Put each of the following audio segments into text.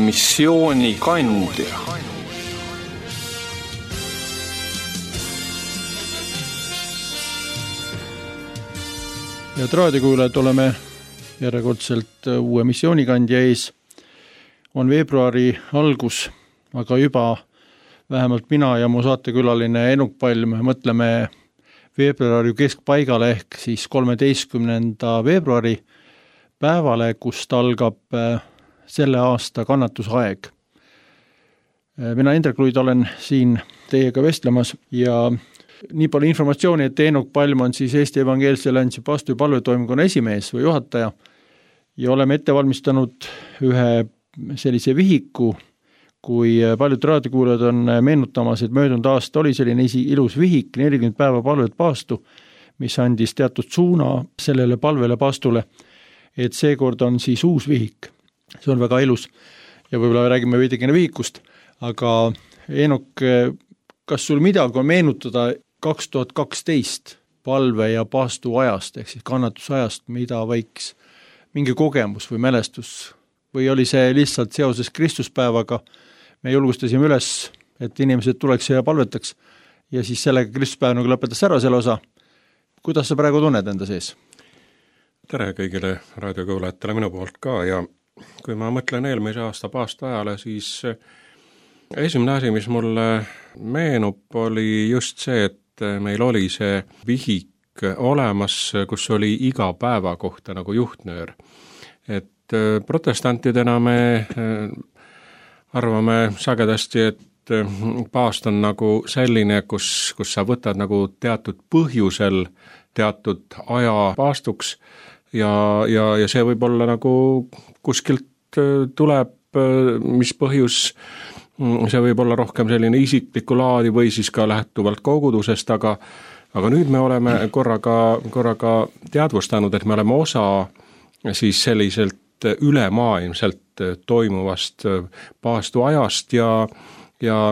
missioonikandja. Head raadiokuulajad, oleme järjekordselt uue missioonikandja ees. On veebruari algus, aga juba vähemalt mina ja mu saatekülaline Enuk Palm mõtleme veebruari keskpaigale ehk siis 13. veebruari päevale, kust algab selle aasta kannatusaeg. Mina Indrek Luid olen siin teiega vestlemas ja nii palju informatsiooni, et Enuk Palm on siis Eesti Evangeelse Alliansi Pastu- ja palvetoimkonna esimees või juhataja ja oleme ette valmistanud ühe sellise vihiku, kui paljud raadiokuulajad on meenutamas, et möödunud aasta oli selline ilus vihik, 40 päeva palvet paastu, mis andis teatud suuna sellele palvele paastule, et seekord on siis uus vihik. See on väga ilus ja võib-olla räägime veidikene vihikust, aga Enuk, kas sul midagi on meenutada 2012 palve ja paastu ajast, ehk siis kannatusajast, mida võiks mingi kogemus või mälestus, või oli see lihtsalt seoses Kristuspäevaga, me julgustasime üles, et inimesed tuleks ja palvetaks ja siis sellega Kristuspäev nagu lõpetas ära selle osa. Kuidas sa praegu tunned enda sees? Tere kõigile raadiokuulajatele minu poolt ka ja kui ma mõtlen eelmise aasta paastu ajale, siis esimene asi, mis mulle meenub, oli just see, et meil oli see vihik olemas, kus oli iga päeva kohta nagu juhtnöör. Et protestantidena me arvame sagedasti, et paast on nagu selline, kus sa võtad nagu teatud põhjusel teatud aja paastuks ja see võib olla nagu kuskilt tuleb, mis põhjus, see võib olla rohkem selline isiklikku laadi või siis ka lähtuvalt kogudusest, aga nüüd me oleme korraga teadvustanud, et me oleme osa siis selliselt ülemaailmselt toimuvast paastu ajast ja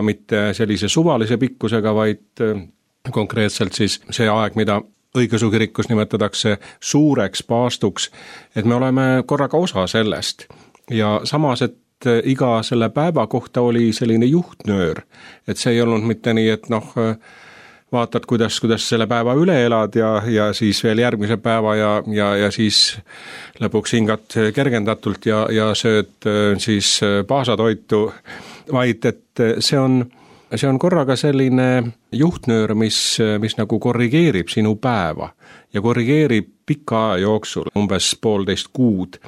mitte sellise suvalise pikkusega, vaid konkreetselt siis see aeg, mida õigeusu kirikus nimetatakse suureks paastuks, et me oleme korraga osa sellest ja samas, et iga selle päeva kohta oli selline juhtnöör, et see ei olnud mitte nii, et vaatad, kuidas selle päeva üle elad ja siis veel järgmise päeva ja siis lõpuks hingad kergendatult ja sööd siis paasatoitu, vaid et see on korraga selline juhtnöör, mis nagu korrigeerib sinu päeva ja korrigeerib pika aja jooksul, umbes 1,5 kuud,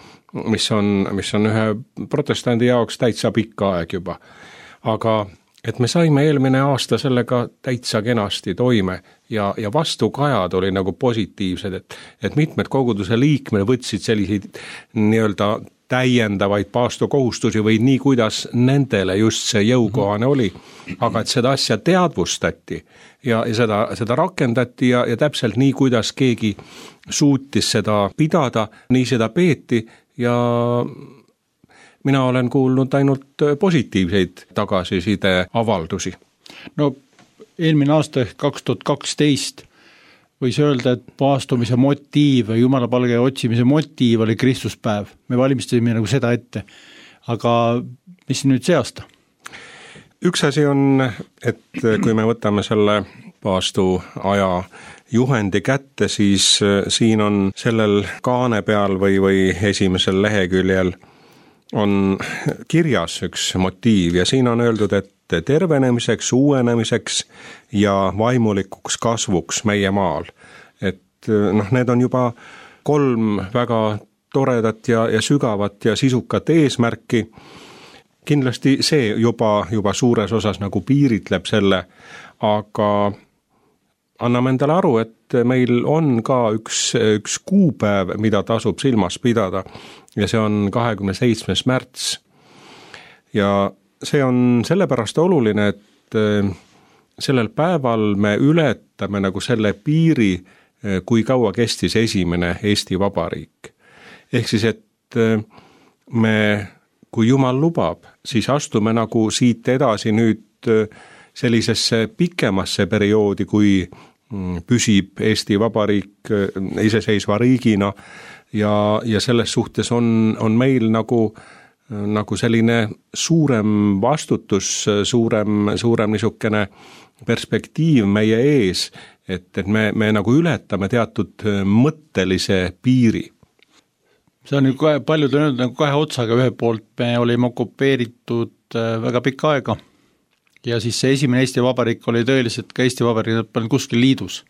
mis on ühe protestandi jaoks täitsa pikka aeg juba. Aga et me saime eelmine aasta sellega täitsa kenasti toime ja vastukajad oli nagu positiivsed, et mitmed koguduse liikmed võtsid selliseid nii-öelda täiendavaid paastukohustusi või nii, kuidas nendele just see jõukohane oli, aga et seda asja teadvustati ja seda rakendati ja täpselt nii, kuidas keegi suutis seda pidada, nii seda peeti ja mina olen kuulnud ainult positiivseid tagasiside avaldusi. No eelmine aasta 2012 võis öelda, et paastumise motiiv ja jumalapalge otsimise motiiv oli Kristuspäev. Me valmistasime nagu seda ette. Aga mis nüüd see aasta? Üks asi on, et kui me võtame selle paastu aja juhendi kätte, siis siin on sellel kaane peal või esimesel leheküljel on kirjas üks motiiv ja siin on öeldud, et tervenemiseks, uuenemiseks ja vaimulikuks kasvuks meie maal. Et need on juba 3 väga toredat ja sügavat ja sisukat eesmärki. Kindlasti see juba suures osas nagu piiritleb selle, aga anname endale aru, et meil on ka üks kuupäev, mida tasub silmas pidada ja see on 27. märts. Ja see on sellepärast oluline, et sellel päeval me ületame nagu selle piiri, kui kaua kestis esimene Eesti Vabariik. Ehk siis, et me, kui Jumal lubab, siis astume nagu siit edasi nüüd sellisesse pikemasse perioodi, kui püsib Eesti Vabariik iseseisva riigina ja selles suhtes on meil nagu nagu selline suurem vastutus, suurem niisugune perspektiiv meie ees, et me nagu ületame teatud mõttelise piiri. See on ju paljud on öelnud nagu kahe otsaga, ühe poolt me olime okupeeritud väga pikka aega ja siis see esimene Eesti Vabariik oli tõeliselt ka Eesti Vabariik kuskil liidus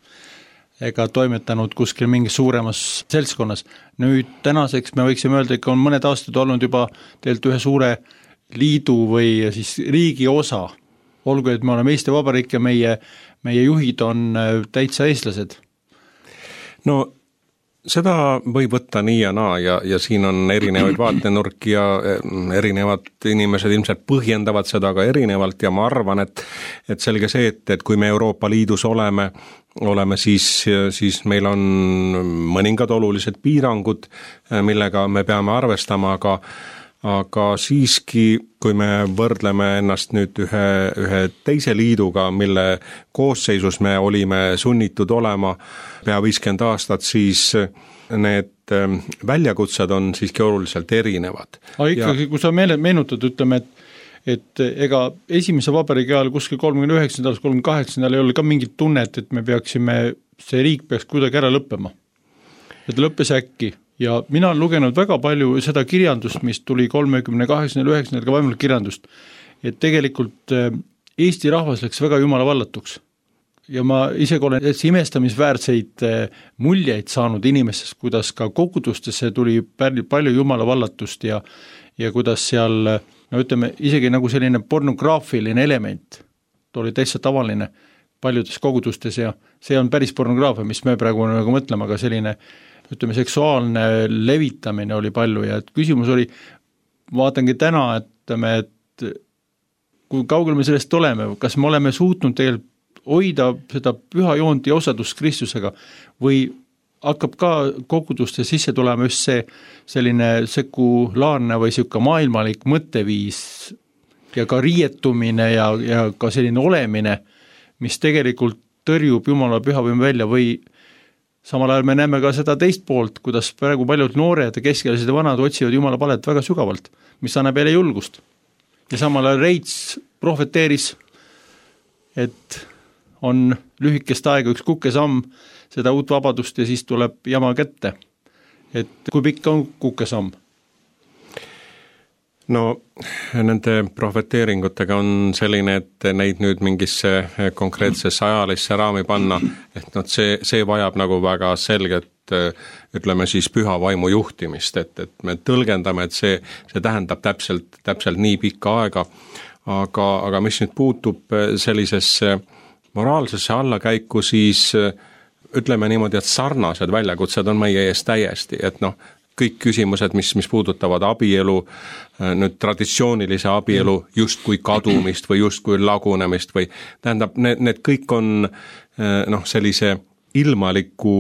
ega toimetanud kuskil mingis suuremas seltskonnas. Nüüd tänaseks me võiksime öelda, et on mõned aastad olnud juba tegelikult ühe suure liidu või siis riigi osa, olgu, et me oleme Eesti Vabariik ja meie juhid on täitsa eestlased. No seda võib võtta nii ja naa ja siin on erinevaid vaatenurki ja erinevad inimesed ilmselt põhjendavad seda ka erinevalt ja ma arvan, et selge see, et kui me Euroopa Liidus oleme, siis meil on mõningad olulised piirangud, millega me peame arvestama, aga siiski, kui me võrdleme ennast nüüd ühe teise liiduga, mille koosseisus me olime sunnitud olema pea 50 aastat, siis need väljakutsed on siiski oluliselt erinevad. Aga ikkagi, kui sa meenutad, ütleme, et ega esimese vabariigi ajal kuskil 39. 38. ei ole ka mingit tunnet, et see riik peaks kuidagi ära lõppema. Et lõppes äkki. Ja mina olen lugenud väga palju seda kirjandust, mis tuli 38. 9. ka vaimult kirjandust, et tegelikult Eesti rahvas läks väga jumala vallatuks. Ja ma isegi olen imestamisväärseid muljeid saanud inimestest, kuidas ka kogudustesse tuli palju jumala vallatust ja kuidas seal, no ütleme, isegi nagu selline pornograafiline element, ta oli täitsa tavaline paljudes kogudustes ja see on päris pornograafia, mis me praegu nagu mõtleme, aga selline ütleme, seksuaalne levitamine oli palju ja et küsimus oli, vaatangi täna, et kui kaugel me sellest oleme, kas me oleme suutnud tegelikult hoida seda püha joont ja osadust Kristusega või hakkab ka koguduste sisse tulema just selline sekulaarne või siuke maailmalik mõtteviis ja ka riietumine ja ka selline olemine, mis tegelikult tõrjub Jumala pühavõimu välja või samal ajal me näeme ka seda teist poolt, kuidas praegu paljud noored ja keskealised ja vanad otsivad Jumala palet väga sügavalt, mis annab jälle julgust. Ja samal ajal Reits prohveteeris, et on lühikest aega üks kukesamm seda uut vabadust ja siis tuleb jama kätte. Et kui pikk on kukesamm? No nende prohveteeringutega on selline, et neid nüüd mingisse konkreetsesse ajalisse raami panna, et see vajab nagu väga selget, ütleme siis püha vaimu juhtimist, et me tõlgendame, et see tähendab täpselt nii pikka aega, aga mis nüüd puutub sellisesse moraalsesse allakäiku, siis ütleme niimoodi, et sarnased väljakutsed on meie ees täiesti, et kõik küsimused, mis puudutavad abielu, nüüd traditsioonilise abielu justkui kadumist või justkui lagunemist või tähendab, need kõik on sellise ilmaliku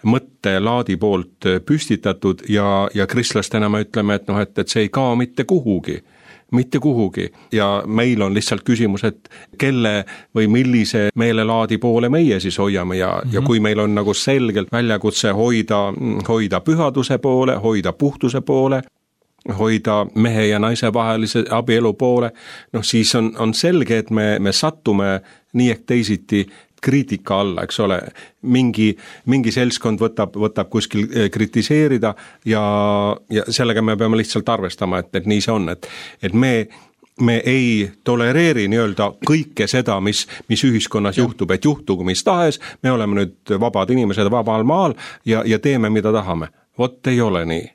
mõttelaadi poolt püstitatud ja kristlastena me ütleme, et see ei kao mitte kuhugi ja meil on lihtsalt küsimus, et kelle või millise meelelaadi poole meie siis hoiame ja kui meil on nagu selgelt väljakutse hoida pühaduse poole, hoida puhtuse poole, hoida mehe ja naise vahelise abielu poole, siis on selge, et me sattume nii ehk teisiti kriitika alla, eks ole, mingi seltskond võtab kuskil kritiseerida ja sellega me peame lihtsalt arvestama, et nii see on, et me ei tolereeri nii-öelda kõike seda, mis ühiskonnas juhtub, et juhtugu mis tahes, me oleme nüüd vabad inimesed vabal maal ja teeme, mida tahame. Vot ei ole nii.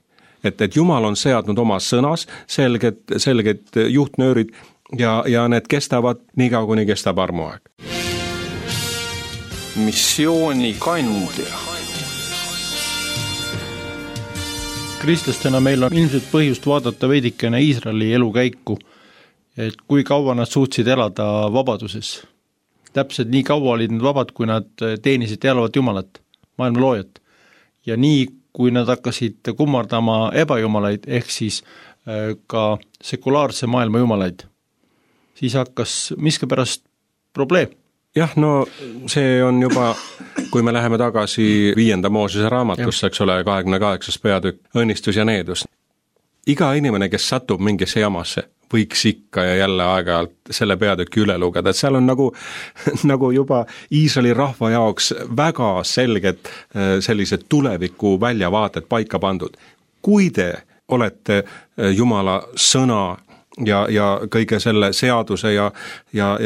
Et Jumal on seadnud oma sõnas selged juhtnöörid ja need kestavad nii kaua, kuni kestab armuaeg. Missioonikandja. Kristlastena meil on ilmselt põhjust vaadata veidikene Iisraeli elukäiku, et kui kaua nad suutsid elada vabaduses. Täpselt nii kaua olid nad vabad, kui nad teenisid ealavat Jumalat, maailma loojat. Ja nii, kui nad hakkasid kummardama ebajumalaid, ehk siis ka sekulaarse maailma jumalaid, siis hakkas miskipärast probleem. Jah, see on juba, kui me läheme tagasi 5. Moosese raamatusse, eks ole, 28. peatükk, õnnistus ja needus. iga inimene, kes satub mingisse jamasse, võiks ikka ja jälle aeg-ajalt selle peatüki üle lugeda, et seal on nagu juba Iisraeli rahva jaoks väga selged sellised tuleviku väljavaated paika pandud. Kui te olete Jumala sõna ja kõige selle seaduse ja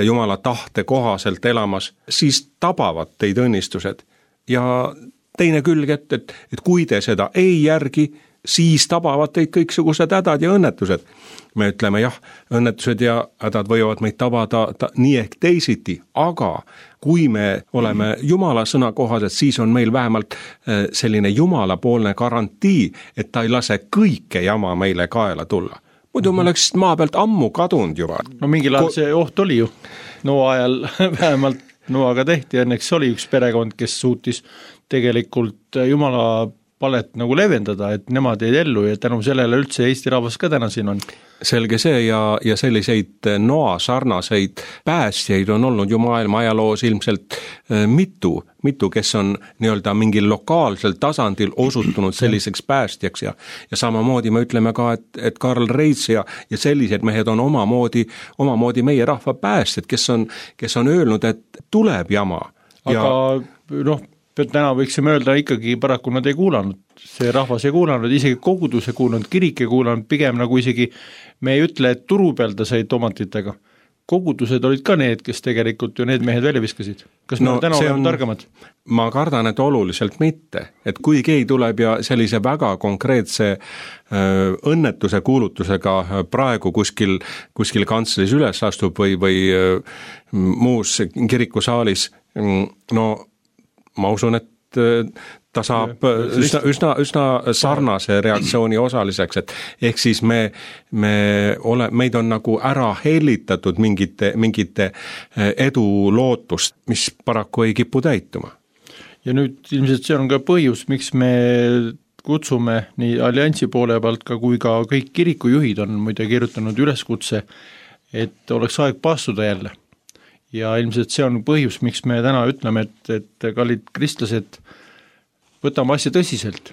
Jumala tahte kohaselt elamas, siis tabavad teid õnnistused. Ja teine külg, et kui te seda ei järgi, siis tabavad teid kõiksugused hädad ja õnnetused. Me ütleme jah, õnnetused ja hädad võivad meid tabada nii ehk teisiti, aga kui me oleme Jumala sõna kohased, siis on meil vähemalt selline Jumalapoolne garantii, et ta ei lase kõike jama meile kaela tulla. Muidu me oleks maa pealt ammu kadunud juba. No mingil ajal see oht oli ju. Noa ajal vähemalt Noaga tehti, õnneks oli üks perekond, kes suutis tegelikult Jumala palet nagu leevendada, et nemad jäid ellu ja tänu sellele üldse Eesti rahvas ka täna siin on. Selge see ja selliseid Noa sarnaseid päästjaid on olnud ju maailma ajaloos ilmselt mitu, kes on nii-öelda mingil lokaalsel tasandil osutunud selliseks päästjaks ja samamoodi me ütleme ka, et Karl Reits ja sellised mehed on omamoodi meie rahva päästjad, kes on öelnud, et tuleb jama. Aga täna võiksime öelda ikkagi paraku nad ei kuulanud, see rahvas ei kuulanud, isegi kogudus ei kuulanud, kirik ei kuulanud, pigem nagu isegi me ei ütle, et turu peal ta said tomatitega. Kogudused olid ka need, kes tegelikult ju need mehed välja viskasid. Kas me täna oleme targemad? Ma kardan, et oluliselt mitte, et kui keegi tuleb ja sellise väga konkreetse õnnetuse kuulutusega praegu kuskil kantslis üles astub või muus kirikusaalis, no ma usun, et ta saab üsna sarnase reaktsiooni osaliseks, et ehk siis meid on nagu ära hellitatud mingite edu lootust, mis paraku ei kipu täituma. Ja nüüd ilmselt see on ka põhjus, miks me kutsume nii alliansi poole pealt kui ka kõik kirikujuhid on muide kirjutanud üleskutse, et oleks aeg paastuda jälle. Ja ilmselt see on põhjus, miks me täna ütleme, et kallid kristlased, võtame asja tõsiselt.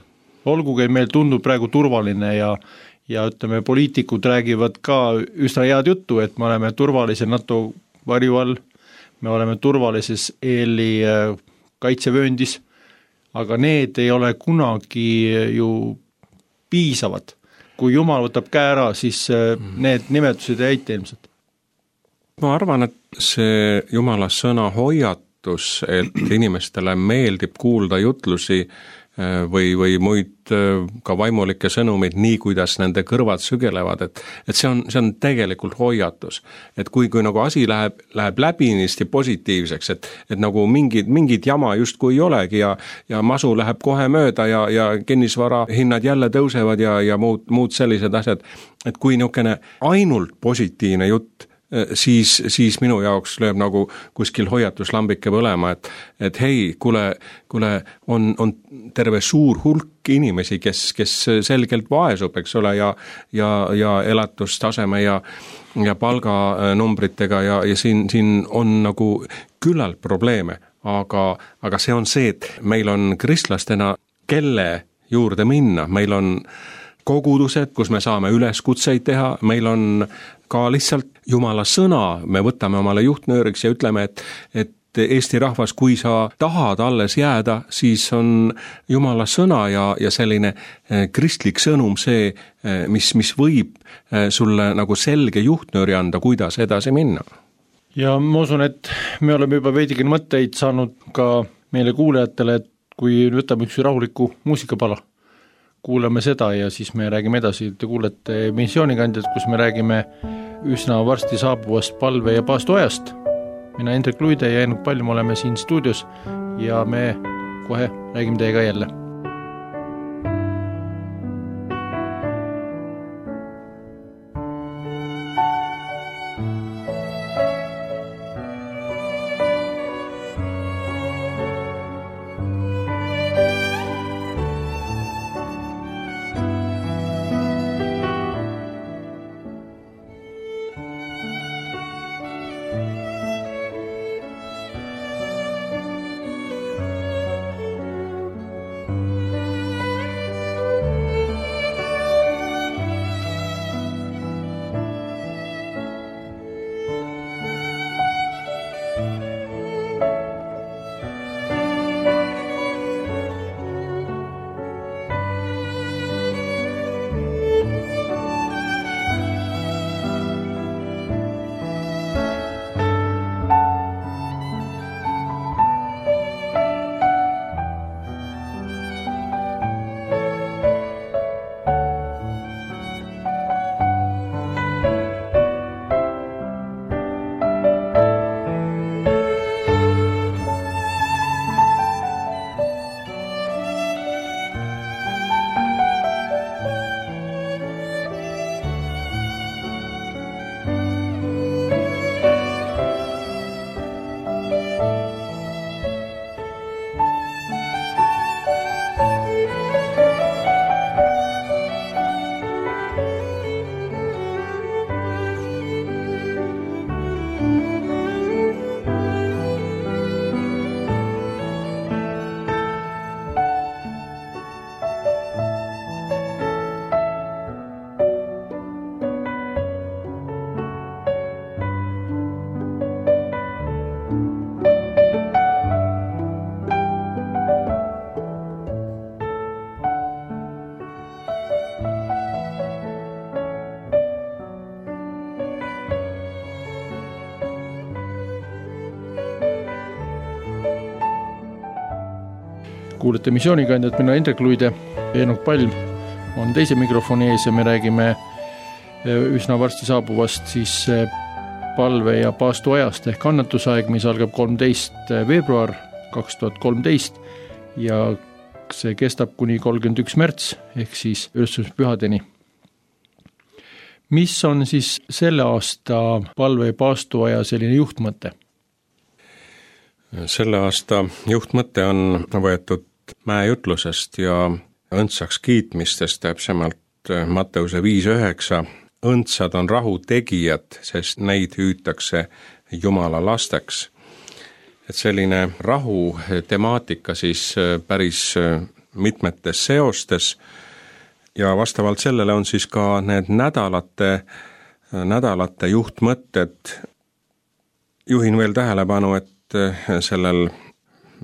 Olgugi meil tundub praegu turvaline ja ütleme, poliitikud räägivad ka üsna head juttu, et me oleme turvalise NATO varju all, me oleme turvalises EL-i kaitsevööndis, aga need ei ole kunagi ju piisavad. Kui Jumal võtab käe ära, siis need nimetused ei aita ilmselt. Ma arvan, et see Jumala sõna hoiatus, et inimestele meeldib kuulda jutlusi või muid ka vaimulikke sõnumeid nii, kuidas nende kõrvad sügelevad, et see on tegelikult hoiatus. Et kui nagu asi läheb läbinisti positiivseks, et nagu mingid jama justkui ei olegi ja masu läheb kohe mööda ja kinnisvara hinnad jälle tõusevad ja muud sellised asjad, et kui niisugune ainult positiivne jutt, siis minu jaoks lööb nagu kuskil hoiatuslambike põlema, et hei, kuule, on terve suur hulk inimesi, kes selgelt vaesub, eks ole, ja elatustaseme ja palganumbritega ja siin on nagu küllalt probleeme, aga see on see, et meil on kristlastena, kelle juurde minna, meil on kogudused, kus me saame üleskutseid teha, meil on ka lihtsalt Jumala sõna, me võtame omale juhtnööriks ja ütleme, et Eesti rahvas, kui sa tahad alles jääda, siis on Jumala sõna ja selline kristlik sõnum see, mis võib sulle nagu selge juhtnööri anda, kuidas edasi minna. Ja ma usun, et me oleme juba veidigi mõtteid saanud ka meile kuulajatele, et kui võtame üks rahuliku muusikapala, kuulame seda ja siis me räägime edasi. Te kuulete Missioonikandjad, kus me räägime üsna varsti saabuvast palve- ja paastuajast. Mina Hendrik Luide ja Ennuk Palm oleme siin stuudios ja me kohe räägime teiega jälle. kuulete missioonikandjat, mina Indrek Luide, Eenok Palm on teise mikrofoni ees ja me räägime üsna varsti saabuvast siis palve- ja paastuajast ehk annetusaeg, mis algab 13. veebruar 2013 ja see kestab kuni 31. märts ehk siis ülestõusmispühadeni. Mis on siis selle aasta palve- ja paastuaja selline juhtmõte? Selle aasta juhtmõte on võetud mäejutlusest ja õndsaks kiitmistest, täpsemalt Matteuse 5:9. Õndsad on rahu tegijad, sest neid hüütakse Jumala lasteks. Et selline rahu temaatika siis päris mitmetes seostes ja vastavalt sellele on siis ka need nädalate juhtmõtted. Juhin veel tähelepanu, et sellel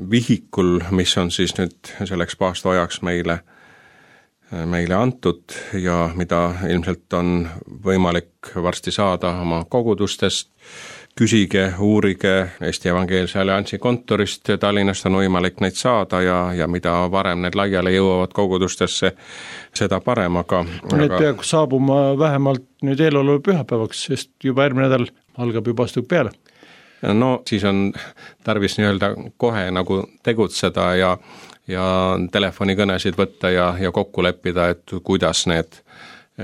vihikul, mis on siis nüüd selleks paastuajaks meile antud ja mida ilmselt on võimalik varsti saada oma kogudustest, küsige, uurige, Eesti Evangeelse Alliansi kontorist Tallinnast on võimalik neid saada ja mida varem need laiale jõuavad kogudustesse, seda parem, aga need peaks saabuma vähemalt nüüd eeloleva pühapäevaks, sest juba järgmine nädal algab juba astuv peale. No siis on tarvis nii-öelda kohe nagu tegutseda ja telefonikõnesid võtta ja kokku leppida, et kuidas need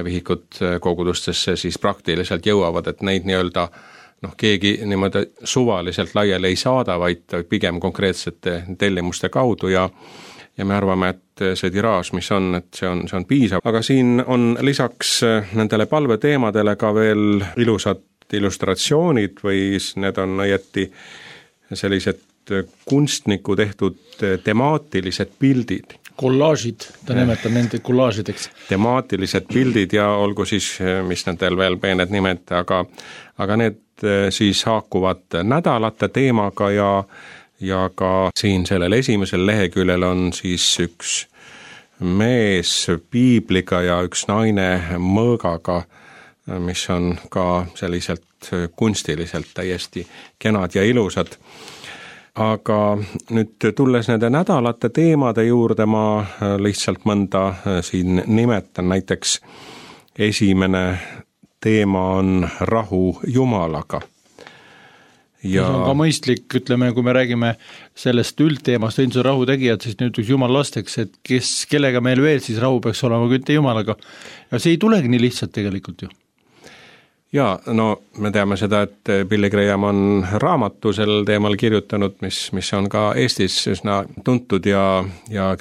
vihikud kogudustesse siis praktiliselt jõuavad, et neid nii-öelda keegi niimoodi suvaliselt laiali ei saada, vaid pigem konkreetsete tellimuste kaudu ja me arvame, et see tiraaž, mis on, et see on piisav. Aga siin on lisaks nendele palveteemadele ka veel ilusad illustratsioonid või need on õieti sellised kunstniku tehtud temaatilised pildid. Kollaažid, ta nimetab nende kollaažideks. Temaatilised pildid ja olgu siis, mis nendel veel peened nimed, aga need siis haakuvad nädalate teemaga ja ka siin sellel esimesel leheküljel on siis üks mees piibliga ja üks naine mõõgaga, mis on ka selliselt kunstiliselt täiesti kenad ja ilusad. Aga nüüd tulles nende nädalate teemade juurde, ma lihtsalt mõnda siin nimetan, näiteks esimene teema on rahu Jumalaga. Ja see on ka mõistlik, ütleme, kui me räägime sellest üldteemast, õndsad rahu tegijad, siis nüüd üks Jumal lasteks, et kellega meil veel siis rahu peaks olema, kui mitte Jumalaga. Ja see ei tulegi nii lihtsalt tegelikult ju. Ja no me teame seda, et Billy Graham on raamatu sel teemal kirjutanud, mis on ka Eestis üsna tuntud ja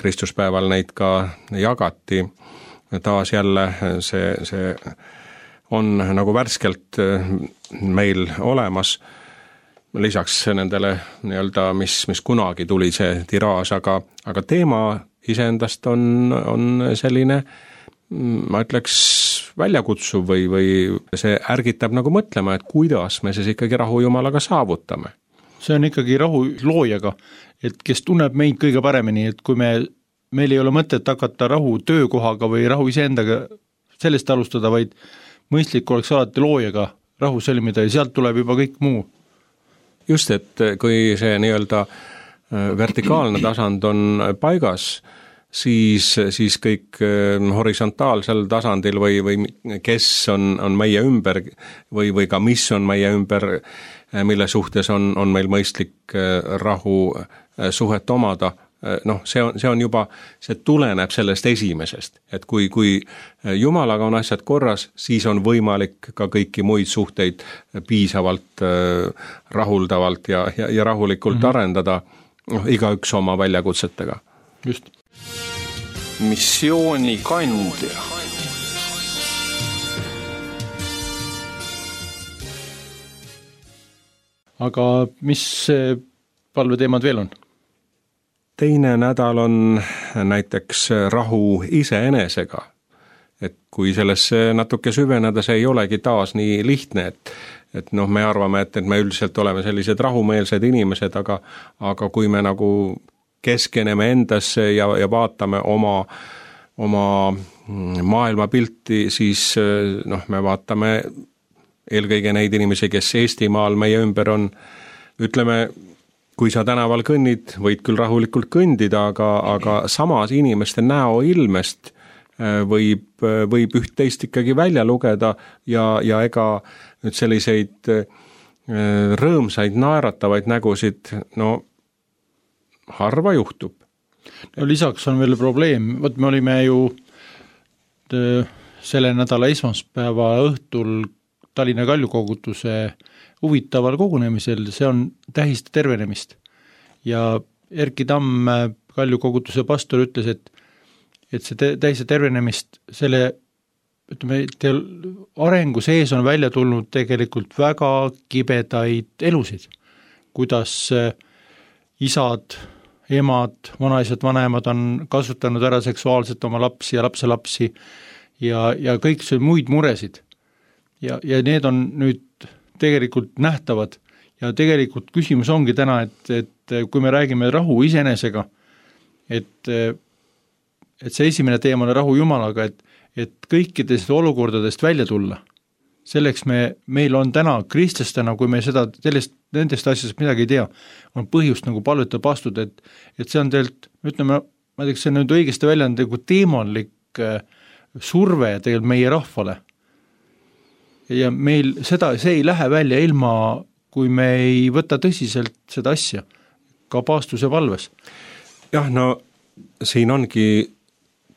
Kristuspäeval neid ka jagati. Taas jälle see on nagu värskelt meil olemas, lisaks nendele nii-öelda, mis kunagi tuli see tiraaž, aga teema iseendast on selline, ma ütleks, väljakutsuv või see ärgitab nagu mõtlema, et kuidas me siis ikkagi rahu Jumalaga saavutame. See on ikkagi rahu loojaga, et kes tunneb meid kõige paremini, et kui meil ei ole mõtet hakata rahu töökohaga või rahu iseendaga sellest alustada, vaid mõistlik oleks alati loojaga rahu sõlmida ja sealt tuleb juba kõik muu. Just, et kui see nii-öelda vertikaalne tasand on paigas, siis kõik horisontaalsel tasandil või kes on meie ümber või ka mis on meie ümber, mille suhtes on meil mõistlik rahu suhet omada, see on juba, see tuleneb sellest esimesest, et kui Jumalaga on asjad korras, siis on võimalik ka kõiki muid suhteid piisavalt rahuldavalt ja rahulikult arendada, igaüks oma väljakutsetega. Just. Missioonikandja. Aga mis palveteemad veel on? Teine nädal on näiteks rahu iseenesega. Et kui sellesse natuke süveneda, see ei olegi taas nii lihtne, et me arvame, et me üldiselt oleme sellised rahumeelsed inimesed, aga kui me nagu keskeneme endasse ja vaatame oma maailmapilti, siis me vaatame eelkõige neid inimesi, kes Eestimaal meie ümber on, ütleme, kui sa tänaval kõnnid, võid küll rahulikult kõndida, aga samas inimeste näoilmest võib üht-teist ikkagi välja lugeda ja ega nüüd selliseid rõõmsaid, naeratavaid nägusid, no harva juhtub. No lisaks on veel probleem, me olime ju selle nädala esmaspäeva õhtul Tallinna Kaljukogutuse huvitaval kogunemisel, see on tähist tervenemist. Ja Erki Tamm, Kaljukogutuse pastor, ütles, et see tähist tervenemist, selle arengu sees on välja tulnud tegelikult väga kibedaid elusid, kuidas isad, emad, vanaisad, vanemad on kasutanud ära seksuaalselt oma lapsi ja lapselapsi ja kõik see muid muresid. Ja need on nüüd tegelikult nähtavad ja tegelikult küsimus ongi täna, et kui me räägime rahu iseenesega, et see esimene teema on rahu Jumalaga, et kõikidest olukordadest välja tulla. Selleks meil on täna kristlastena, kui me nendest asjadest midagi ei tea, on põhjust nagu palvetada pastuda, et see on tegelikult, ütleme, ma teeks, see on nüüd õigesti välja, on nagu teemanlik surve tegelikult meie rahvale. Ja meil see ei lähe välja ilma, kui me ei võta tõsiselt seda asja, ka paastuse valves. Jah, no siin ongi,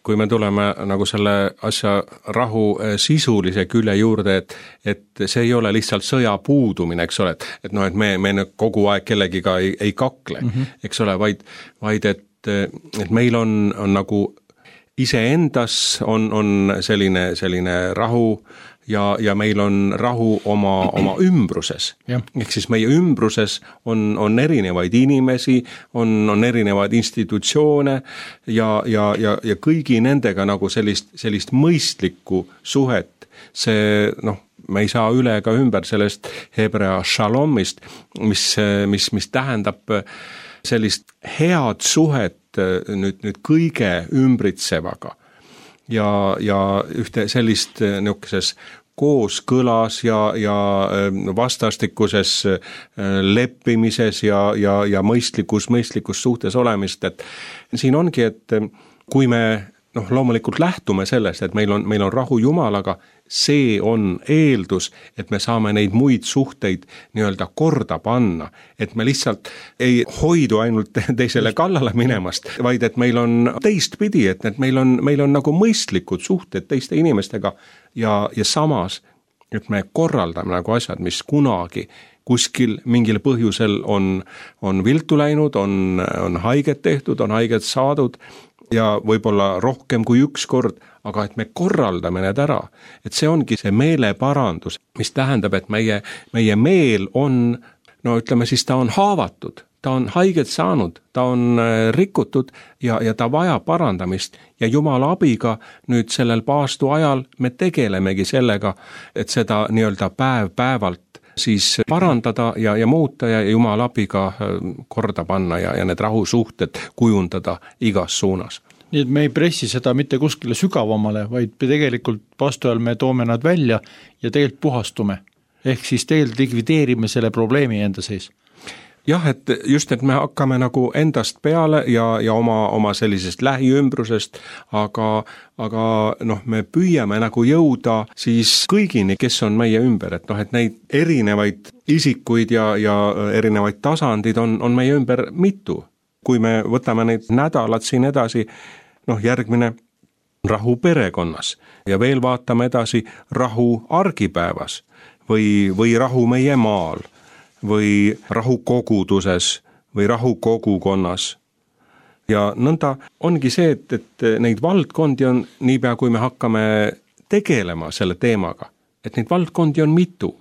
kui me tuleme nagu selle asja rahu sisulise külje juurde, et see ei ole lihtsalt sõja puudumine, eks ole, et me kogu aeg kellegiga ei kakle, eks ole, vaid et meil on nagu iseendas on selline rahu ja meil on rahu oma ümbruses. Ehk siis meie ümbruses on erinevaid inimesi, on erinevaid institutsioone ja kõigi nendega nagu sellist mõistlikku suhet. See, me ei saa üle ega ümber sellest hebrea shalomist, mis tähendab sellist head suhet nüüd kõige ümbritsevaga. Ja ühte sellist niisuguses kooskõlas ja vastastikuses leppimises ja mõistlikus suhtes olemist, et siin ongi, et kui me loomulikult lähtume sellest, et meil on rahu Jumalaga, see on eeldus, et me saame neid muid suhteid nii-öelda korda panna, et me lihtsalt ei hoidu ainult teisele kallale minemast, vaid et meil on teistpidi, et meil on nagu mõistlikud suhted teiste inimestega ja samas, et me korraldame nagu asjad, mis kunagi kuskil mingil põhjusel on viltu läinud, on haiget tehtud, on haiget saadud ja võib-olla rohkem kui üks kord, aga et me korraldame need ära. Et see ongi see meeleparandus, mis tähendab, et meie meel on, ütleme siis, ta on haavatud, ta on haiget saanud, ta on rikutud ja ta vajab parandamist ja Jumala abiga nüüd sellel paastu ajal me tegelemegi sellega, et seda nii-öelda päev-päevalt siis parandada ja muuta ja Jumala abiga korda panna ja need rahusuhted kujundada igas suunas. Nii et me ei pressi seda mitte kuskile sügavamale, vaid tegelikult paastu ajal me toome nad välja ja tegelikult puhastume. Ehk siis tegelikult likvideerime selle probleemi enda sees. Jah, et me hakkame nagu endast peale ja oma sellisest lähiümbrusest, aga me püüame nagu jõuda siis kõigini, kes on meie ümber, et neid erinevaid isikuid ja erinevaid tasandid on meie ümber mitu. Kui me võtame neid nädalad siin edasi, järgmine rahu perekonnas ja veel vaatame edasi rahu argipäevas või rahu meie maal või rahu koguduses või rahu kogukonnas. Ja nõnda ongi see, et neid valdkondi on niipea, kui me hakkame tegelema selle teemaga, et neid valdkondi on mitu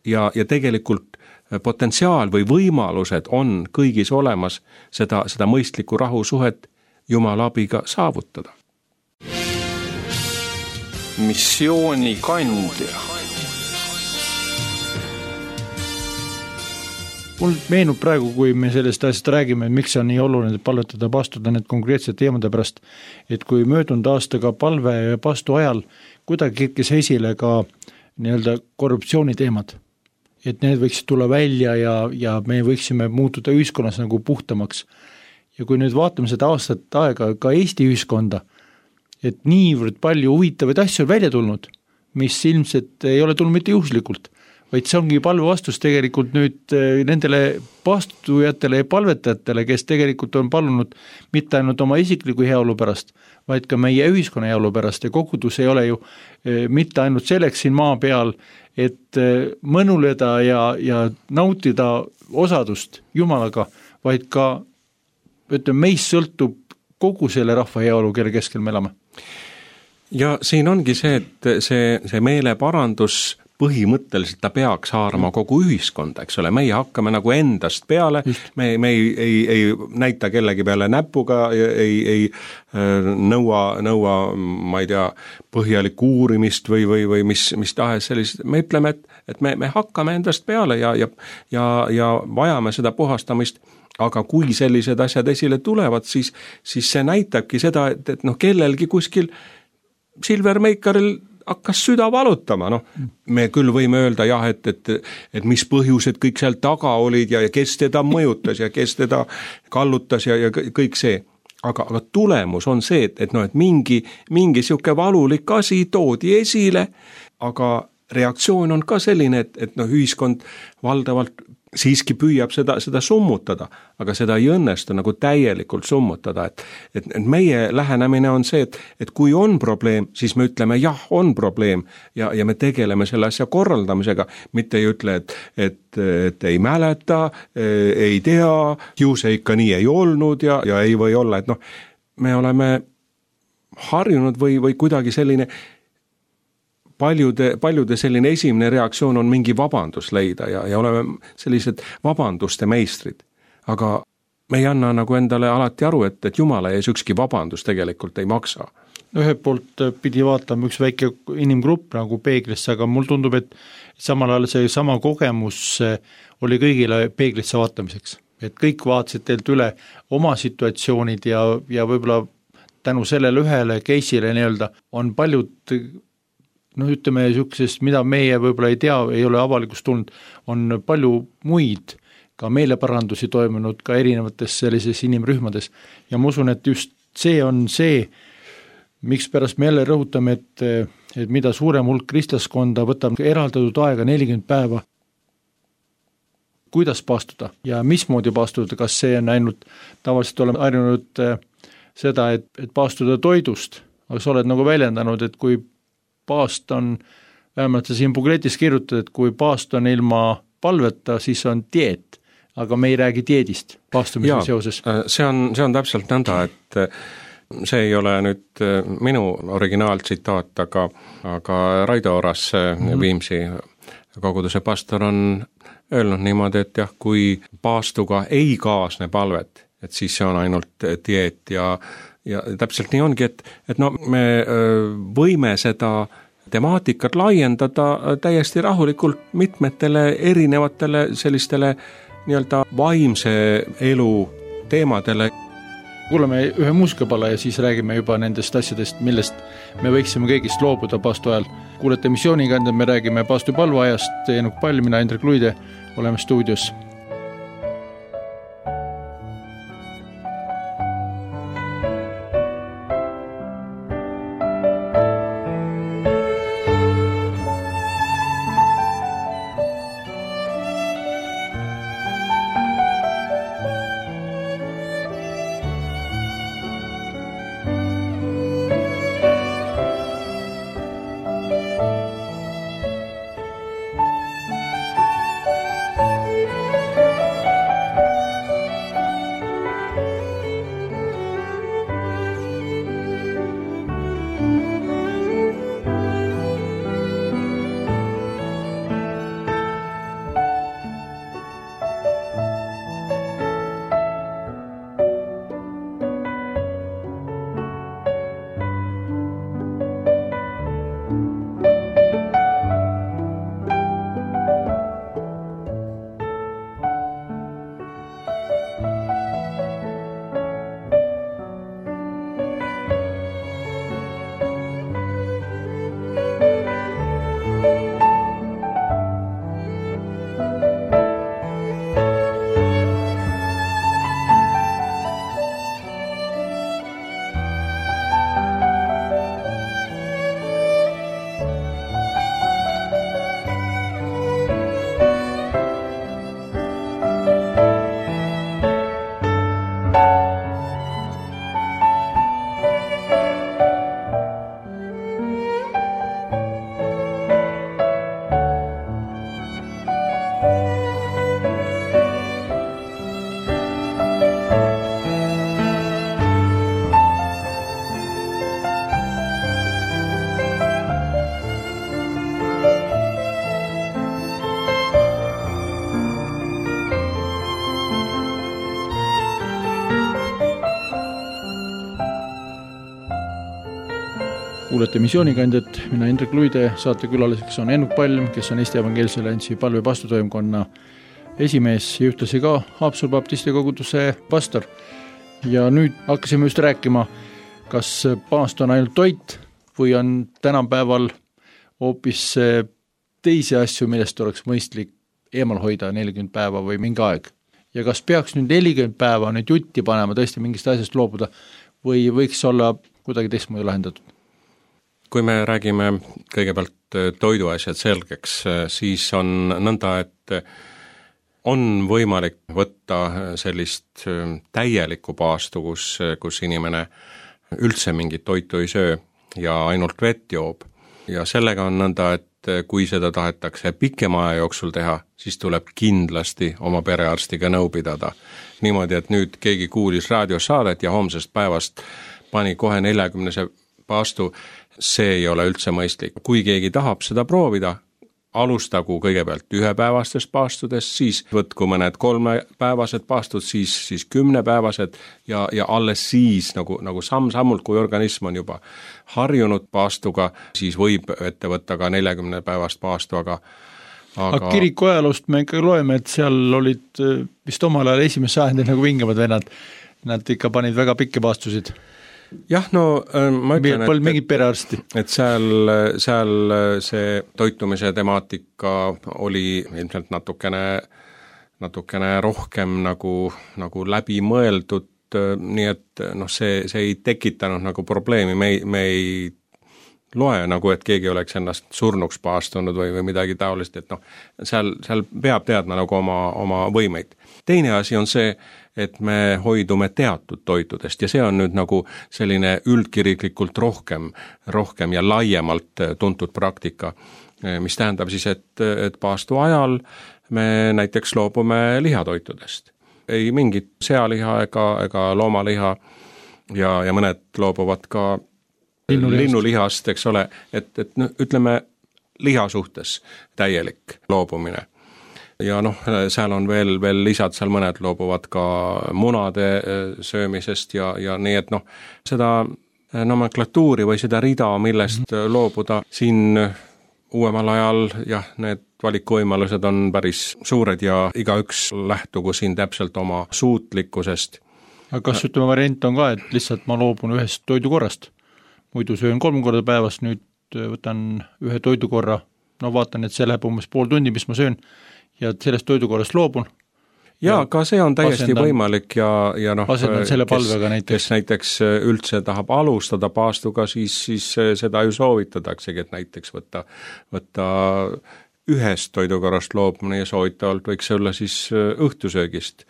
ja tegelikult potentsiaal või võimalused on kõigis olemas seda mõistlikku rahusuhet Jumala abiga saavutada. Missioonikandja. Mul meenub praegu, kui me sellest asjast räägime, miks see on nii oluline palvetada pastuda need konkreetsed teemade pärast, et kui möödunud aastaga palve ja pastu ajal kuidagi kerkis esile ka nii-öelda korruptsiooni teemad. et need võiksid tulla välja ja me võiksime muutuda ühiskonnas nagu puhtamaks. Ja kui nüüd vaatame seda aastat aega ka Eesti ühiskonda, et niivõrd palju huvitavaid asju on välja tulnud, mis ilmselt ei ole tulnud mitte juhuslikult, vaid see ongi palve vastus tegelikult nüüd nendele paastujatele ja palvetajatele, kes tegelikult on palunud mitte ainult oma isikliku heaolu pärast, vaid ka meie ühiskonna heaolu pärast ja kogudus ei ole ju mitte ainult selleks siin maa peal, et mõnuleda ja nautida osadust Jumalaga, vaid ka meist sõltub kogu selle rahva heaolu, kelle keskel me elame. Ja siin ongi see, et see meeleparandus põhimõtteliselt ta peaks haarama kogu ühiskonda, eks ole, meie hakkame nagu endast peale, me ei näita kellegi peale näpuga, ei nõua, ma ei tea, põhjalikku uurimist või mis tahes sellist, me ütleme, et me hakkame endast peale ja vajame seda puhastamist, aga kui sellised asjad esile tulevad, siis see näitabki seda, et kellelgi kuskil Silver Meikaril hakkas süda valutama, me küll võime öelda jah, et mis põhjused kõik seal taga olid ja kes teda mõjutas ja kes teda kallutas ja kõik see. Aga tulemus on see, et mingi siuke valulik asi toodi esile, aga reaktsioon on ka selline, et ühiskond valdavalt siiski püüab seda summutada, aga seda ei õnnestu nagu täielikult summutada, et meie lähenemine on see, et kui on probleem, siis me ütleme jah, on probleem ja me tegeleme selle asja korraldamisega, mitte ei ütle, et ei mäleta, ei tea, ju see ikka nii ei olnud ja ei või olla, et me oleme harjunud või kuidagi selline paljude selline esimene reaktsioon on mingi vabandus leida ja oleme sellised vabanduste meistrid. Aga me ei anna nagu endale alati aru, et Jumala ees ükski vabandus tegelikult ei maksa. Ühelt poolt pidi vaatama üks väike inimgrupp nagu peeglisse, aga mul tundub, et samal ajal see sama kogemus oli kõigile peeglisse vaatamiseks. Et kõik vaatasid teilt üle oma situatsioonid ja võib-olla tänu sellele ühele case'ile nii-öelda on paljud ütleme niisugusest, mida meie võib-olla ei tea, ei ole avalikust tulnud, on palju muid ka meeleparandusi toimunud ka erinevates sellises inimrühmades. Ja ma usun, et just see on see, miks pärast me jälle rõhutame, et mida suurem hulk kristlaskonda võtab eraldatud aega 40 päeva, kuidas paastuda ja mismoodi paastuda, kas see on ainult, tavaliselt oleme harjunud seda, et paastuda toidust, aga sa oled nagu väljendanud, et kui paast on, vähemalt sa siin bukletis kirjutad, et kui paast on ilma palveta, siis on dieet, aga me ei räägi dieedist paastumise seoses. See on täpselt nõnda, et see ei ole nüüd minu originaaltsitaat, aga Raido Oras, Viimsi koguduse pastor on öelnud niimoodi, et jah, kui paastuga ei kaasne palvet, et siis see on ainult dieet ja täpselt nii ongi, et me võime seda temaatikat laiendada täiesti rahulikult mitmetele erinevatele sellistele nii-öelda vaimse elu teemadele. Kuulame ühe muusikapala ja siis räägime juba nendest asjadest, millest me võiksime kõigist loobuda paastu ajal. Kuulete missiooniga, me räägime paastu palveajast, Eenuk Pall, mina Hendrik Luide, oleme stuudios. kuulete Missioonikandjat, mina Indrek Luide, saatekülaliseks on Ennuk Palm, kes on Eesti Evangeelse Alliansi palve pastotoimkonna esimees ja ühtlasi ka Haapsalu baptisti koguduse pastor. Ja nüüd hakkasime just rääkima, kas paast on ainult toit või on tänapäeval hoopis teisi asju, millest oleks mõistlik eemal hoida 40 päeva või mingi aeg. Ja kas peaks nüüd 40 päeva nüüd jutti panema, tõesti mingist asjast loobuda või võiks olla kuidagi teistmoodi lahendatud? Kui me räägime kõigepealt toiduasjad selgeks, siis on nõnda, et on võimalik võtta sellist täielikku paastu, kus inimene üldse mingit toitu ei söö ja ainult vett joob. Ja sellega on nõnda, et kui seda tahetakse pikema aja jooksul teha, siis tuleb kindlasti oma perearstiga nõu pidada. Niimoodi, et nüüd keegi kuulis raadiosaadet ja homsest päevast pani kohe 40 paastu, see ei ole üldse mõistlik. Kui keegi tahab seda proovida, alustagu kõigepealt 1-päevastest paastudest, siis võtku mõned 3-päevased paastud, siis 10-päevased ja alles siis nagu samm-sammult, kui organism on juba harjunud paastuga, siis võib ette võtta ka 40 päevast paastu, aga kiriku ajaloost me ikka loeme, et seal olid vist omal ajal esimese sajandil nagu vingemad vennad, nad ikka panid väga pikki paastusid. Jah, no ma ütlen, et seal see toitumise temaatika oli ilmselt natukene rohkem nagu läbi mõeldud, nii et see ei tekitanud nagu probleemi, me ei loe nagu, et keegi oleks ennast surnuks paastunud või midagi taolist, et seal peab teadma nagu oma võimeid. Teine asi on see, et me hoidume teatud toitudest ja see on nüüd nagu selline üldkiriklikult rohkem ja laiemalt tuntud praktika, mis tähendab siis, et paastu ajal me näiteks loobume lihatoitudest. Ei mingit sealiha ega loomaliha ja mõned loobuvad ka linnulihast, eks ole, et ütleme liha suhtes täielik loobumine. Ja seal on veel lisad, seal mõned loobuvad ka munade söömisest ja nii, et seda nomenklatuuri või seda rida, millest loobuda siin uuemal ajal, jah, need valikuvõimalused on päris suured ja igaüks lähtugu siin täpselt oma suutlikkusest. Aga kas variant on ka, et lihtsalt ma loobun ühest toidukorrast? Muidu söön 3 korda päevas, nüüd võtan ühe toidukorra, vaatan, et see läheb umbes pool tundi, mis ma söön, ja sellest toidukorrast loobun. Ja ka see on täiesti võimalik ja asendan selle palvega kes näiteks üldse tahab alustada paastuga, siis seda ju soovitadaksegi, et näiteks võtta ühest toidukorrast loobumine ja soovitavalt võiks olla siis õhtusöögist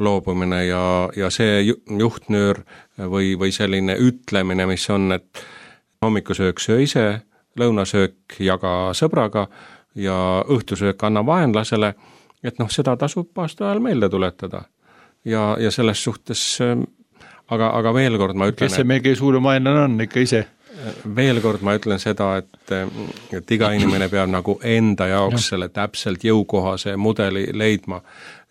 loobumine ja see juhtnöör või selline ütlemine, mis on, et hommikusöök söö ise, lõunasöök jaga sõbraga ja õhtusöök anna vaenlasele, et seda tasub paastu ajal meelde tuletada. Ja selles suhtes, aga veel kord ma ütlen, kes see meie kõige suurem vaenlane on ikka ise? Veel kord ma ütlen seda, et iga inimene peab nagu enda jaoks selle täpselt jõukohase mudeli leidma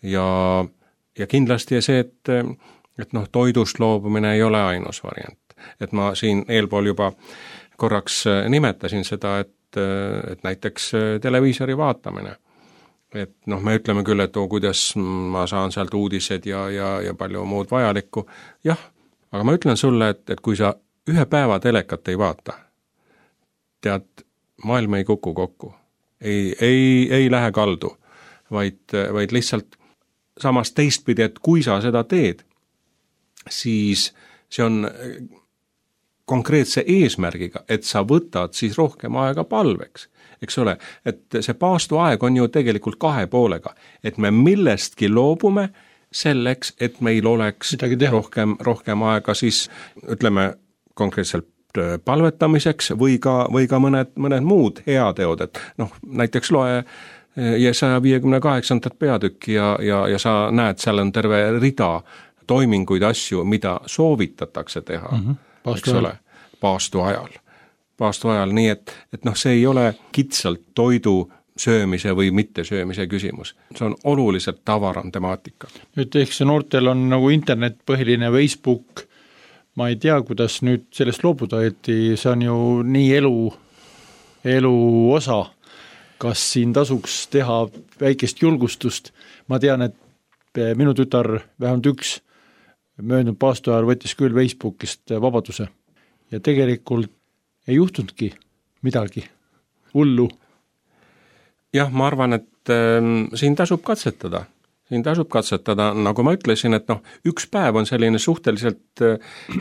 ja kindlasti see, et toidust loobumine ei ole ainus variant. Et ma siin eelpool juba korraks nimetasin seda, et näiteks televiisori vaatamine. Et me ütleme küll, et kuidas ma saan sealt uudised ja palju muud vajalikku. Jah, aga ma ütlen sulle, et kui sa 1 päeva telekat ei vaata, tead, maailm ei kuku kokku. Ei lähe kaldu, vaid lihtsalt samas teistpidi, et kui sa seda teed, siis see on konkreetse eesmärgiga, et sa võtad siis rohkem aega palveks, eks ole, et see paastuaeg on ju tegelikult 2 poolega, et me millestki loobume selleks, et meil oleks rohkem aega siis, ütleme, konkreetselt palvetamiseks või ka mõned muud heateod, et näiteks loe Jesaja 58. peatükki ja sa näed, seal on terve rida toiminguid, asju, mida soovitatakse teha, eks ole, paastu ajal, nii et see ei ole kitsalt toidu söömise või mitte söömise küsimus. See on oluliselt tavaram temaatika. Nüüd ehk see noortel on nagu internet põhiline, Facebook, ma ei tea, kuidas nüüd sellest loobuda, et see on ju nii elu osa. Kas siin tasuks teha väikest julgustust? Ma tean, et minu tütar vähemalt üks möödunud paastoajal võttis küll Facebookist vabaduse ja tegelikult ei juhtunudki midagi hullu. Jah, ma arvan, et siin tasub katsetada. Nagu ma ütlesin, et üks päev on selline suhteliselt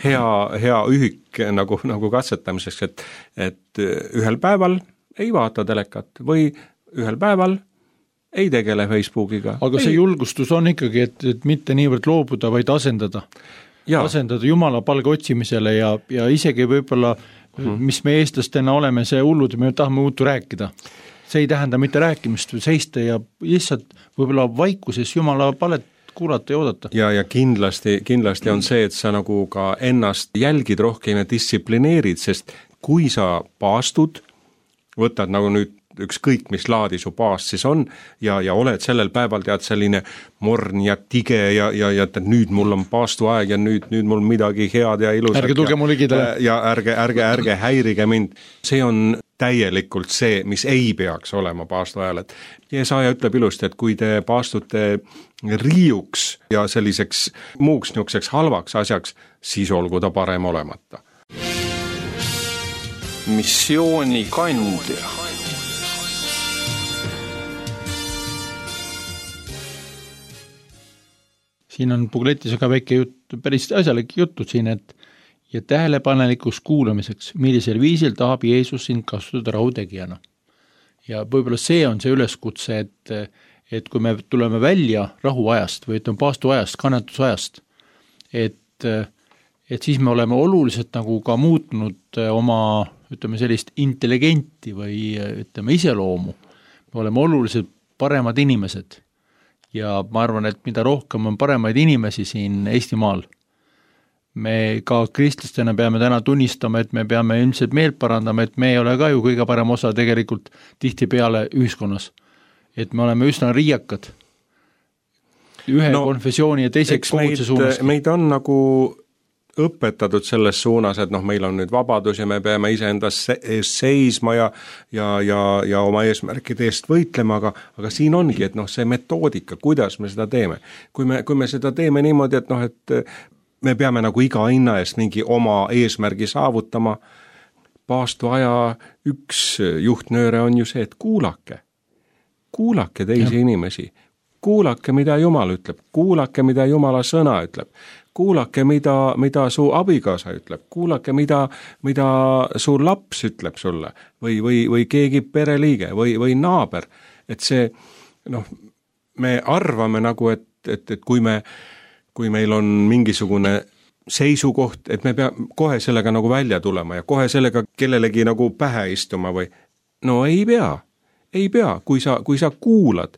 hea ühik nagu katsetamiseks, et ühel päeval ei vaata telekat või ühel päeval ei tegele Facebookiga. Aga see julgustus on ikkagi, et mitte niivõrd loobuda, vaid asendada. Asendada Jumala palge otsimisele ja isegi võib-olla, mis me eestlastena oleme, see hullud, me tahame uutu rääkida. See ei tähenda mitte rääkimist või seista ja lihtsalt võib-olla vaikuses Jumala palet kuulata ja oodata. Ja kindlasti on see, et sa nagu ka ennast jälgid rohkem ja distsiplineerid, sest kui sa paastud, võtad nagu nüüd ükskõik, mis laadi su paast siis on ja oled sellel päeval tead selline morn ja tige ja nüüd mul on paastuaeg ja nüüd mul midagi head ja ilusat. Ärge tulge mul ligida. Ja ärge häirige mind. See on täielikult see, mis ei peaks olema paastuajal. Jeesaja ütleb ilusti, et kui te paastute riiuks ja selliseks muuks niukseks halvaks asjaks, siis olgu ta parem olemata. Missioonikandja. Siin on Pugletis ka väike jutt, päris asjalik jutud siin, et ja tähelepanelikuks kuulamiseks, millisel viisil tahab Jeesus sind kasutada rahutegijana. Ja võib-olla see on see üleskutse, et kui me tuleme välja rahuajast või ütleme paastuajast, kannatusajast, et siis me oleme oluliselt nagu ka muutnud oma, ütleme sellist intelligenti või ütleme iseloomu. Me oleme oluliselt paremad inimesed. Ja ma arvan, et mida rohkem on paremaid inimesi siin Eestimaal, me ka kristlastena peame täna tunnistama, et me peame ilmselt meelt parandama, et me ei ole ka ju kõige parem osa tegelikult tihtipeale ühiskonnas. Et me oleme üsna riiakad ühe konfessiooni ja teise koguduse suunas. Meid on nagu õpetatud selles suunas, et meil on nüüd vabadus ja me peame iseendas seisma ja oma eesmärkide eest võitlema, aga siin ongi, et see metoodika, kuidas me seda teeme. Kui me seda teeme niimoodi, et me peame nagu iga hinna eest mingi oma eesmärgi saavutama, paastuaja üks juhtnööre on ju see, et kuulake teisi inimesi, kuulake, mida Jumal ütleb, kuulake, mida Jumala sõna ütleb, kuulake, mida su abikaasa ütleb, kuulake, mida su laps ütleb sulle või keegi pereliige või naaber. Et see, me arvame nagu, et kui meil on mingisugune seisukoht, et me peame kohe sellega nagu välja tulema ja kohe sellega kellelegi nagu pähe istuma või ei pea, kui sa kuulad,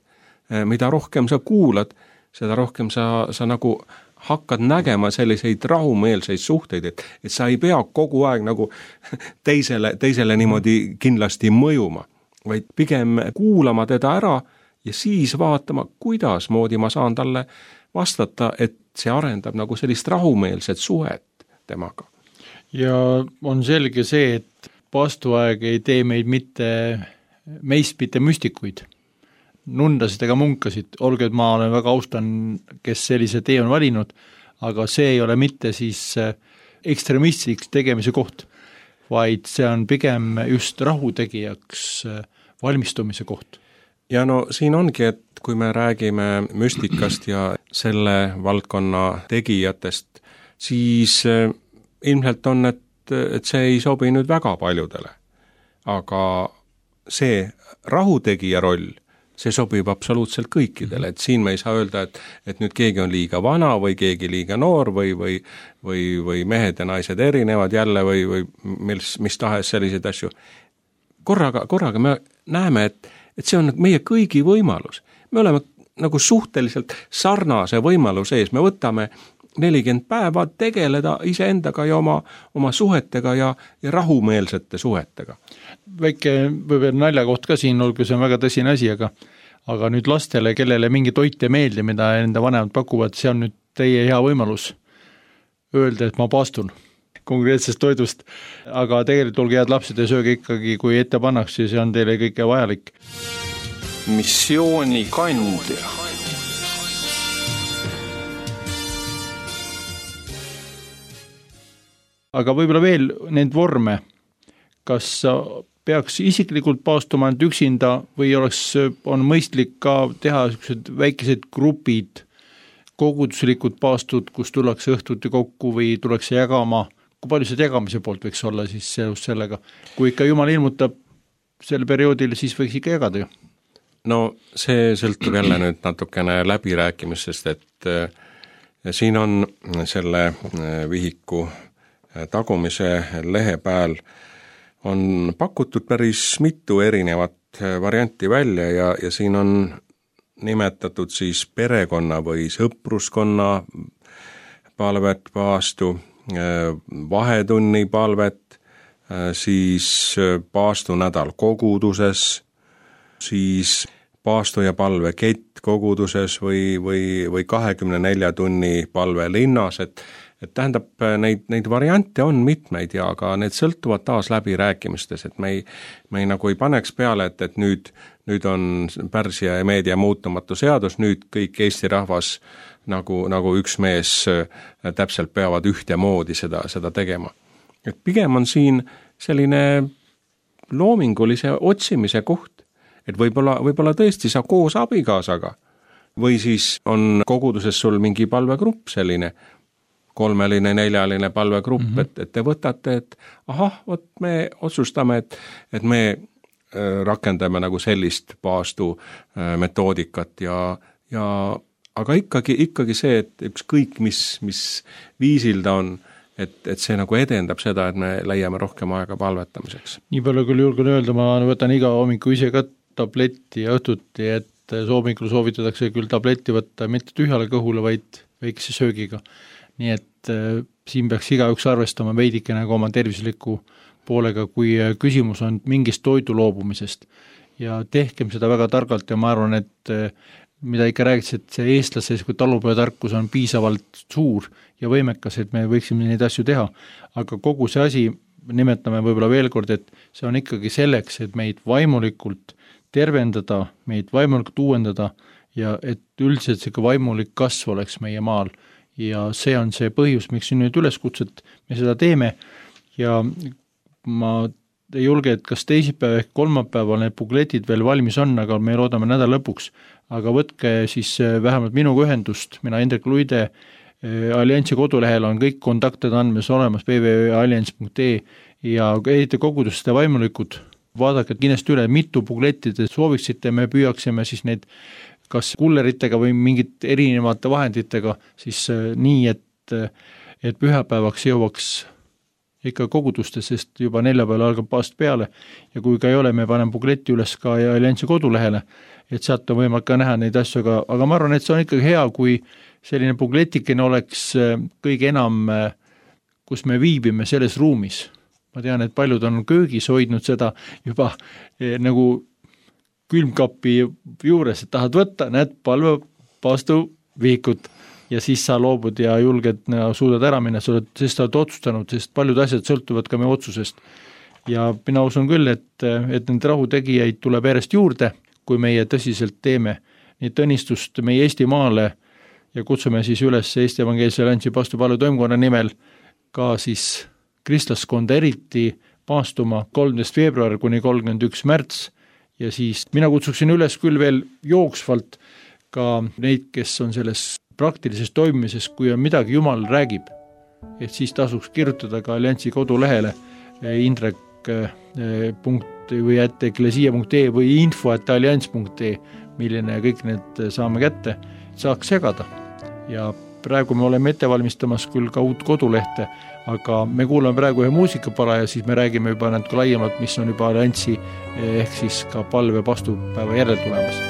mida rohkem sa kuulad, seda rohkem sa nagu hakkad nägema selliseid rahumeelseid suhteid, et sa ei pea kogu aeg nagu teisele niimoodi kindlasti mõjuma, vaid pigem kuulama teda ära ja siis vaatama, kuidas moodi ma saan talle vastata, et see arendab nagu sellist rahumeelset suhet temaga. Ja on selge see, et paastuaeg ei tee meist mitte müstikuid, nundasid ega munkasid, olgu, et ma olen väga austan, kes sellise tee on valinud, aga see ei ole mitte siis ekstremistiks tegemise koht, vaid see on pigem just rahutegijaks valmistumise koht. Ja siin ongi, et kui me räägime müstikast ja selle valdkonna tegijatest, siis ilmselt on, et see ei sobi nüüd väga paljudele. Aga see rahutegija roll, see sobib absoluutselt kõikidele, et siin me ei saa öelda, et nüüd keegi on liiga vana või keegi liiga noor või mehed ja naised erinevad jälle või mis tahes selliseid asju. Korraga me näeme, et see on meie kõigi võimalus. Me oleme nagu suhteliselt sarnase võimaluse ees, me võtame 40 päeva tegeleda iseendaga ja oma suhetega ja rahumeelsete suhetega. Väike võib-olla naljakoht ka siin, olgu see on väga tõsine asi, aga nüüd lastele, kellele mingi toit ei meeldi, mida enda vanemad pakuvad, see on nüüd teie hea võimalus öelda, et ma paastun konkreetsest toidust, aga tegelikult olge head lapsed ja sööge ikkagi, kui ette pannakse, see on teile kõike vajalik. Missioonikandja. Aga võib-olla veel neid vorme, kas peaks isiklikult paastuma ainult üksinda või on mõistlik ka teha väikesed grupid, koguduslikud paastud, kus tullakse õhtuti kokku või tullakse jagama, kui palju see jagamise poolt võiks olla siis just sellega, kui ikka Jumal ilmutab sel perioodil, siis võiks ikka jagada ju? No see sõltub jälle nüüd natukene läbirääkimistest, et siin on selle vihiku tagumise lehe peal on pakutud päris mitu erinevat varianti välja ja siin on nimetatud siis perekonna või sõpruskonna palvet paastu, vahetunni palvet, siis paastunädal koguduses, siis paastu ja palve kett koguduses või 24 tunni palve linnas, et tähendab, neid variante on mitmeid ja aga need sõltuvad taas läbirääkimistes, et me ei nagu ei paneks peale, et nüüd on Pärsia ja Meedia muutumatu seadus, nüüd kõik Eesti rahvas nagu üks mees täpselt peavad ühtemoodi seda tegema. Et pigem on siin selline loomingulise otsimise koht, et võib-olla tõesti sa koos abikaasaga või siis on koguduses sul mingi palvegrupp selline, 3-line, 4-line palvegrupp, et te võtate, et vot me otsustame, et me rakendame nagu sellist paastu metoodikat ja aga ikkagi see, et ükskõik mis viisil ta on, et see nagu edendab seda, et me leiame rohkem aega palvetamiseks. Nii palju küll julgen öelda, ma võtan iga hommiku ise ka tabletti ja õhtuti, et hommikul soovitatakse küll tabletti võtta mitte tühjale kõhule, vaid väikese söögiga. Nii et siin peaks igaüks arvestama veidike nagu oma tervisliku poolega, kui küsimus on mingist toidu loobumisest. Ja tehkem seda väga targalt ja ma arvan, et mida ikka räägiks, et see eestlase talupojatarkus on piisavalt suur ja võimekas, et me võiksime neid asju teha. Aga kogu see asi, nimetame võib-olla veel kord, et see on ikkagi selleks, et meid vaimulikult tervendada, meid vaimulikult uuendada ja et üldiselt see vaimulik kasv oleks meie maal. Ja see on see põhjus, miks siin nüüd üleskutset me seda teeme ja ma ei julge, et kas teisipäev ehk kolmapäeval need bukletid veel valmis on, aga me loodame nädala lõpuks, aga võtke siis vähemalt minuga ühendust, mina Indrek Luide, Alliansi kodulehel on kõik kontaktid andmes olemas, www.allians.ee ja ehite koguduste vaimulikud, vaadake kindlasti üle, mitu bukletti te sooviksite, me püüaksime siis neid kas kulleritega või mingit erinevate vahenditega, siis nii, et pühapäevaks jõuaks ikka koguduste, sest juba neljapäeval algab paast peale ja kui ka ei ole, me paneme bukleti üles ka Alliansi kodulehele, et sealt on võimalik ka näha neid asju, aga ma arvan, et see on ikkagi hea, kui selline bukletikene oleks kõige enam, kus me viibime selles ruumis. Ma tean, et paljud on köögis hoidnud seda juba nagu külmkapi juures, et tahad võtta, näed palve paastu vihikut ja siis sa loobud ja julged suudad ära minna, sest sa oled otsustanud, sest paljud asjad sõltuvad ka meie otsusest. Ja mina usun küll, et need rahutegijaid tuleb järjest juurde, kui meie tõsiselt teeme nii õnnistust meie Eestimaale ja kutsume siis üles Eesti Evangeelse Alliansi paastupalve toimkonna nimel ka siis kristlaskonda eriti paastuma 13. veebruar kuni 31. märts. Ja siis mina kutsuksin üles küll veel jooksvalt ka neid, kes on selles praktilises toimimises, kui on midagi Jumal räägib, et siis tasuks kirjutada ka Alliansi kodulehele indrek. või @eklesia.ee või info@allians.ee, milline kõik need saame kätte, saaks segada. Ja praegu me oleme ette valmistamas küll ka uut kodulehte, aga me kuulame praegu ühe muusikapala ja siis me räägime juba natuke laiemalt, mis on juba Alliansi ehk siis ka palve pastupäeva järel tulemas.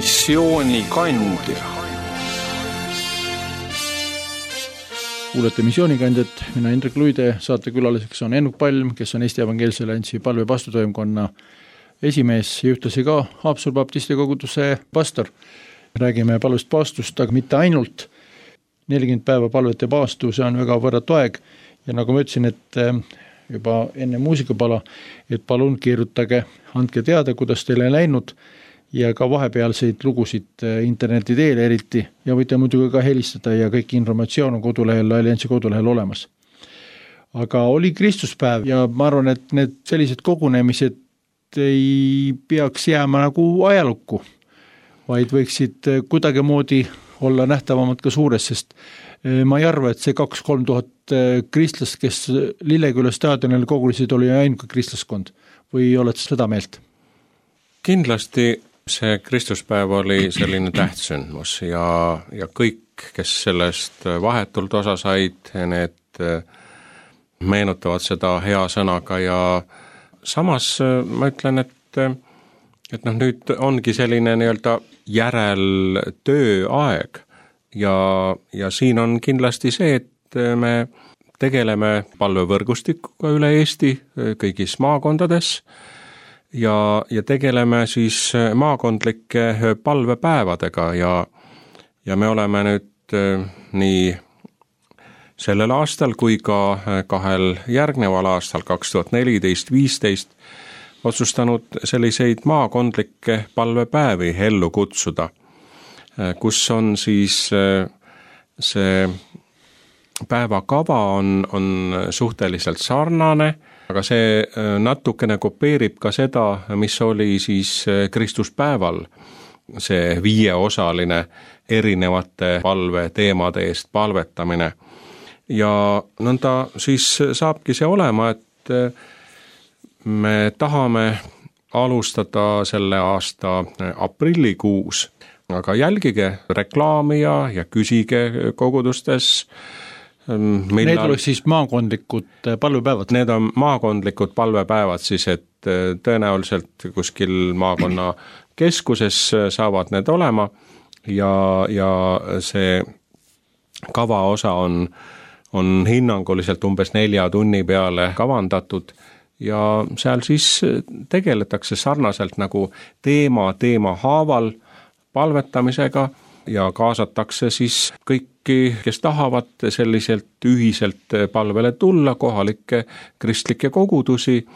missioonikandja. Kuulete missioonikandjat, mina Indrek Luide, saatekülaliseks on Ennuk Palm, kes on Eesti Evangeelse Alliansi palve pastotoimkonna esimees ja ühtlasi ka Haapsalu baptisti koguduse pastor. Räägime palvest paastust, aga mitte ainult. 40 päeva palvet ja paastu, see on väga võrratu aeg ja nagu ma ütlesin, et juba enne muusikapala, et palun kirjutage, andke teada, kuidas teile läinud ja ka vahepealseid lugusid interneti teel eriti ja võite muidugi ka helistada ja kõik informatsioon on kodulehel, Alliansi kodulehel olemas. Aga oli Kristuspäev ja ma arvan, et need sellised kogunemised ei peaks jääma nagu ajalukku, vaid võiksid kuidagimoodi olla nähtavamad ka suures, sest ma ei arva, et see 2-3 tuhat kristlast, kes Lilleküla staadionil kogunesid, oli ainuke kristlaskond või oled seda meelt? Kindlasti see Kristuspäev oli selline tähtsündmus ja kõik, kes sellest vahetult osa said, need meenutavad seda hea sõnaga ja samas ma ütlen, et nüüd ongi selline nii-öelda järeltöö aeg ja siin on kindlasti see, et me tegeleme palvevõrgustikuga üle Eesti kõigis maakondades ja tegeleme siis maakondlike palvepäevadega ja me oleme nüüd nii sellel aastal kui ka 2 järgneval aastal 2014-2015 otsustanud selliseid maakondlikke palvepäevi ellu kutsuda, kus on siis see päevakava on suhteliselt sarnane, aga see natukene kopeerib ka seda, mis oli siis Kristuspäeval, see 5-osaline erinevate palveteemade eest palvetamine. Ja nõnda siis saabki see olema, et me tahame alustada selle aasta aprillikuus, aga jälgige reklaami ja küsige kogudustes. Need oleks siis maakondlikud palvepäevad? Need on maakondlikud palvepäevad siis, et tõenäoliselt kuskil maakonna keskuses saavad need olema ja see kavaosa on hinnanguliselt umbes 4 tunni peale kavandatud ja seal siis tegeletakse sarnaselt nagu teema haaval palvetamisega ja kaasatakse siis kõiki, kes tahavad selliselt ühiselt palvele tulla, kohalikke kristlikke kogudusi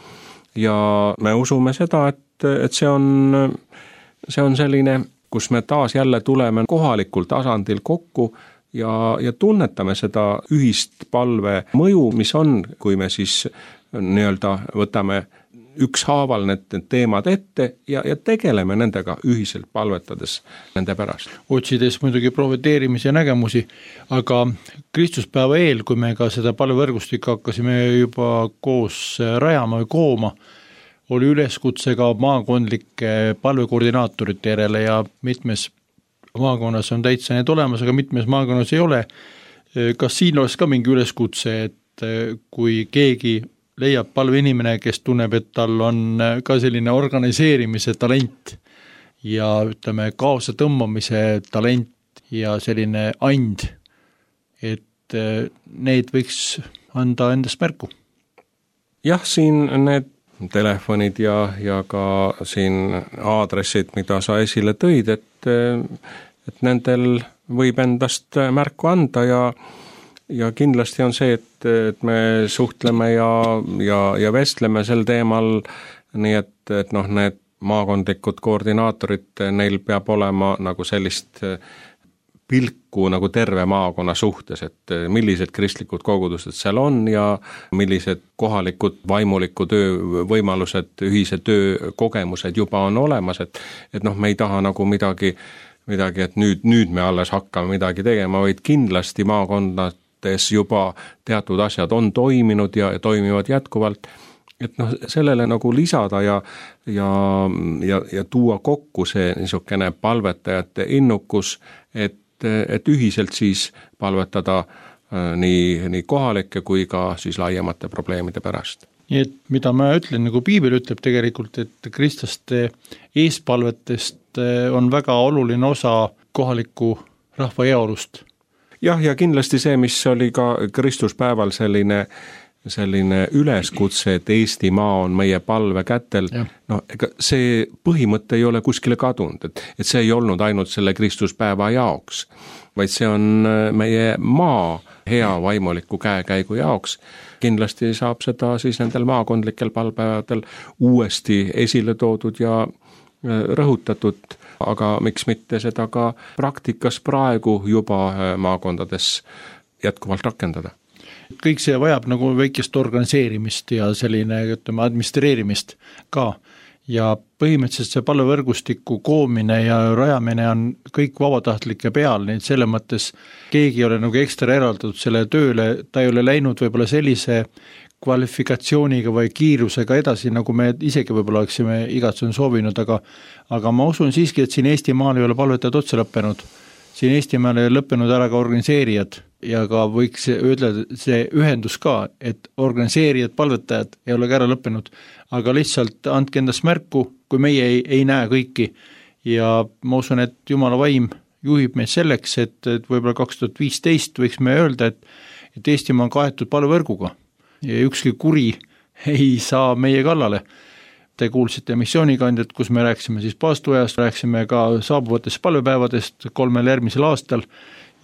ja me usume seda, et see on selline, kus me taas jälle tuleme kohalikul tasandil kokku ja tunnetame seda ühist palve mõju, mis on, kui me siis nii-öelda võtame ükshaaval need teemad ette ja tegeleme nendega ühiselt palvetades nende pärast. Otsides muidugi profeteerimise ja nägemusi, aga Kristuspäeva eel, kui me ka seda palvevõrgustikku hakkasime juba koos rajama või kooma, oli üleskutse ka maakondlike palvekoordinaatorite järele ja mitmes maakonnas on täitsa need olemas, aga mitmes maakonnas ei ole. Kas siin oleks ka mingi üleskutse, et kui keegi leiab palveinimene, kes tunneb, et tal on ka selline organiseerimise talent ja ütleme kaasa tõmbamise talent ja selline and, et need võiks anda endast märku? Jah, siin need telefonid ja ka siin aadressid, mida sa esile tõid, et nendel võib endast märku anda ja kindlasti on see, et me suhtleme ja vestleme sel teemal, nii et need maakondlikud koordinaatorid, neil peab olema nagu sellist pilku nagu terve maakonna suhtes, et millised kristlikud kogudused seal on ja millised kohalikud vaimuliku töö võimalused, ühise töö kogemused juba on olemas, et me ei taha nagu midagi, et nüüd me alles hakkame midagi tegema, vaid kindlasti maakondades juba teatud asjad on toiminud ja toimivad jätkuvalt, et sellele nagu lisada ja tuua kokku see niisugune palvetajate innukus, et ühiselt siis palvetada nii kohalike kui ka siis laiemate probleemide pärast. nii et mida ma ütlen, nagu piibel ütleb tegelikult, et kristlaste eespalvetest on väga oluline osa kohaliku rahva heaolust. Jah, ja kindlasti see, mis oli ka Kristuspäeval selline üleskutse, et Eestimaa on meie palve kätel, no ega see põhimõte ei ole kuskile kadunud, et see ei olnud ainult selle Kristuspäeva jaoks, vaid see on meie maa hea vaimuliku käekäigu jaoks. Kindlasti saab seda siis nendel maakondlikel palvepäevadel uuesti esile toodud ja rõhutatud, aga miks mitte seda ka praktikas praegu juba maakondades jätkuvalt rakendada. Kõik see vajab nagu väikest organiseerimist ja selline, ütleme, administreerimist ka. Ja põhimõtteliselt see palvevõrgustiku koomine ja rajamine on kõik vabatahtlike peal, nii et selle mõttes keegi ei ole nagu ekstra eraldatud selle tööle, ta ei ole läinud võib-olla sellise kvalifikatsiooniga või kiirusega edasi, nagu me isegi võib-olla oleksime igatsun soovinud, aga ma usun siiski, et siin Eestimaal ei ole palvetajad otsa lõppenud. Siin Eestimaal ei ole lõppenud ära ka organiseerijad ja ka võiks öelda see ühendus ka, et organiseerijad, palvetajad ei ole ka ära lõppenud, aga lihtsalt andke endast märku, kui meie ei näe kõiki. Ja ma usun, et Jumala vaim juhib meid selleks, et võib-olla 2015 võiks me öelda, et Eestimaa on kaetud palvevõrguga ja ükski kuri ei saa meie kallale. Te kuulsite missioonikandjat, kus me rääksime siis paastuajast, rääksime ka saabuvatest palvepäevadest 3 järgmisel aastal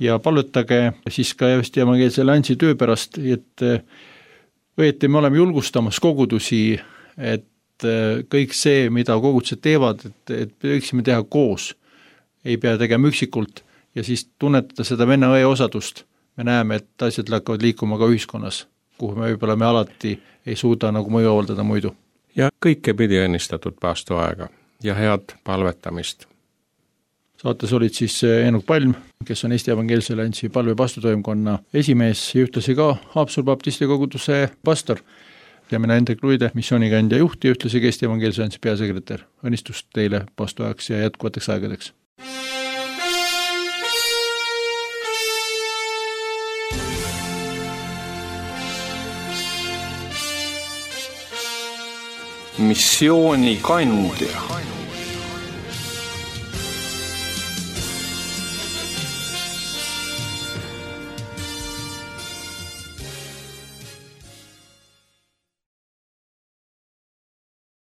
ja palvetage siis ka just evangeelse Lansi töö pärast, et õieti me oleme julgustamas kogudusi, et kõik see, mida kogudused teevad, et võiksime teha koos, ei pea tegema üksikult ja siis tunnetada seda venna-õe osadust. Me näeme, et asjad hakkavad liikuma ka ühiskonnas, kuhu me võib-olla me alati ei suuda nagu mõju avaldada muidu. Ja kõike pidi õnnistatud paastuaega ja head palvetamist. Saates olid siis Eenok Palm, kes on Eesti Evangeelse Lansi palve paastutoimkonna esimees ja ühtlasi ka Haapsalu baptisti koguduse pastor ja mina Hendrik Luide, missioonikandja juht ja ühtlasi Eesti Evangeelse Lansi peasekretär. Õnnistust teile paastuajaks ja jätkuvateks aegadeks. Missioonikandja.